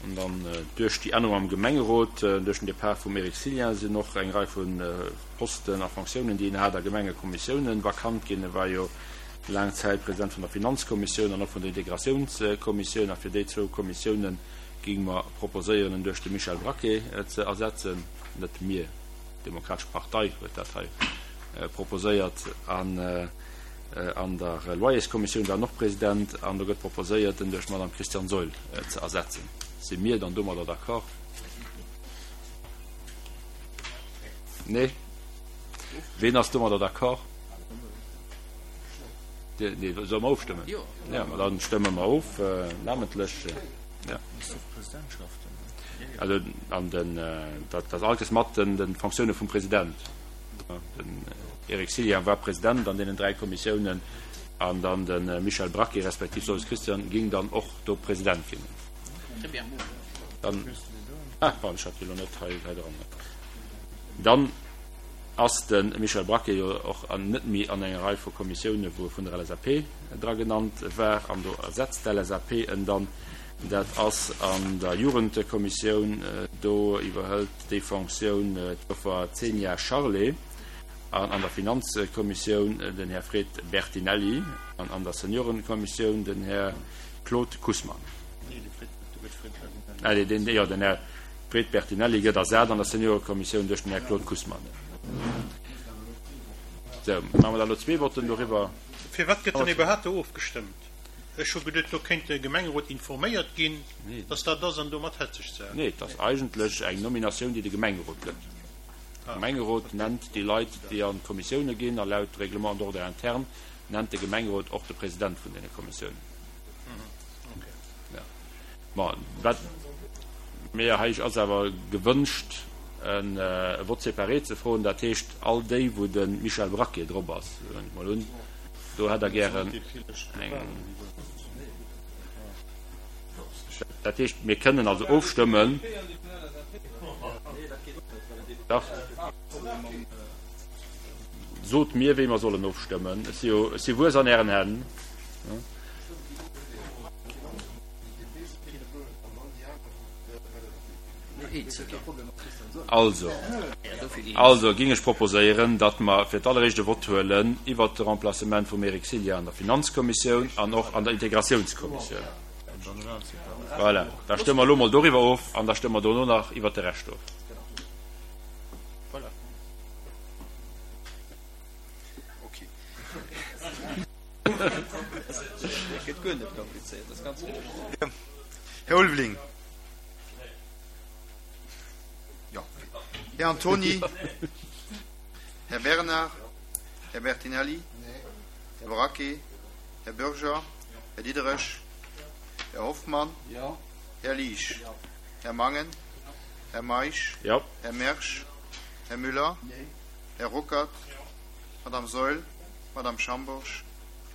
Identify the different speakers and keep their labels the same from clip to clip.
Speaker 1: An dann duerch déi Ännerung am Gemengerot, duerch den Depart vum Eric Cillien sinn och eng Rei vu Posten a Fonctiounen, déi en hat a Gemengekommissiounen, vakant ginn. E war jo laang Zäit President vun der Finanzkommissioun an och vun der Integratiounskommissioun. A fir déi zwou Kommissiounen géinge mer proposéieren, en duerch de Michel Braquet ze ersetzen. Net mir, d'Demokratesch Partei huet dat hei proposéiert. An an der Loyerskommissioun war en och President. An do gëtt proposéiert, en duerch d'Madame Christiane Saeul ze ersetzen. Si mir dann domadder d'accord? Nee? Ween ass domadder d'accord? Nee, solle mer ofstëmmen? Jo, ma dann stëmme mer of, namentlech. Ja. Also, an den, dat ass alles mat den, den Fonctionne vum President. Den Eric Cillien war President an deenen dräi Kommissiounen an dann de Michel Braquet respektiv Sols Christian ging dann och do President ginn. Dann, ah, pardon, ech hat déi elo net hei, hei dran. Dann ass de Michel Braquet jo och an net méi an enger Rei vu Kommissioune wou e vun der LSAP dra genannt war an do ersetzt d'LSAP en dann. Dat ass an der Jugendkommissioun, do iwwerhëlt déi Fonctioun d'Joffer Zenia Charlé an an der Finanzkommissioun den Här Fred Bertinelli an an der Seniorenkommissioun den Här Claude Kussmann. Jo, den Här Fred Bertinelli gëtt ersat an der Seniorekommissioun duerch den Här Claude Kussmann. Sou, maache mer da elo zwee Votten doriwwer.
Speaker 2: Firwat gëtt dann iwwerhaapt do ofgestëmmt? Ech hu geduet, do kéint de Gemengerot informéiert ginn, dass dat ass, an domat hätt sech d'Saach.
Speaker 1: Nee, et ass eigentlech eng Nominatioun, déi de Gemengerot gëtt. De Gemengerot nennt déi Leit, déi an d'Kommissioune ginn, a laut Règlement d'ordre interne nennt de Gemengerot och de President vun deene Kommissiounen. Bon, wat mir hei ass awer gewënscht, e Vote séparé ze froen, dat heescht all déi, wou de Michel Braquet drop ass, huelen ech mol un, do hätt Der gären eng. Dat heescht, mir kënnen also ofstëmmen. Dach. Sot mir, wéi mer sollen ofstëmmen. Ech si jo, ech si wuess an Ären Hänn. Also, also ging ech proposéieren, datt mer fir d'alleréischt e Vott huelen iwwert de Remplacement vum Eric Cillien an der Finanzkommissioun an och an der Integratiounskommissioun. Voilà, da stëmme mer elo mol doriwwer of an da stëmme mer dono nach iwwert de Rescht of.
Speaker 3: Här Ulveling. Jo. Här Antony. Här Bernard. Här Bertinelli. Här Braquet. Här Bürger. Här Diderich. Här Hoffmann. Här Liesch. Här Mangen. Här Meisch. Här Mersch. Här Müller. Här Ruckert. Madame Saeul. Madame Schambourg,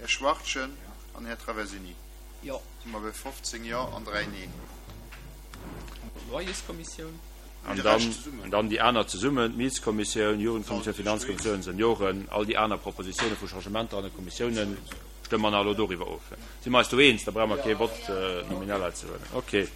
Speaker 3: Här Schwachtgen an Här Traversini.
Speaker 4: Jo.
Speaker 3: Si mer bei 15 Jo an 3 Neen.
Speaker 4: Loyerskommissioun.
Speaker 1: An dann, dann déi aner zesummen, d'Mietskommissioun, Jugendkommissioun, Finanzkommissioun, Senioren, all déi aner Propositioune vu Changementer an de Kommissiounen stëmme mer nach elo doriwwer of. Si mer eis do eens? Da brauche mer kee Vote nominal hei ze huelen. Okay.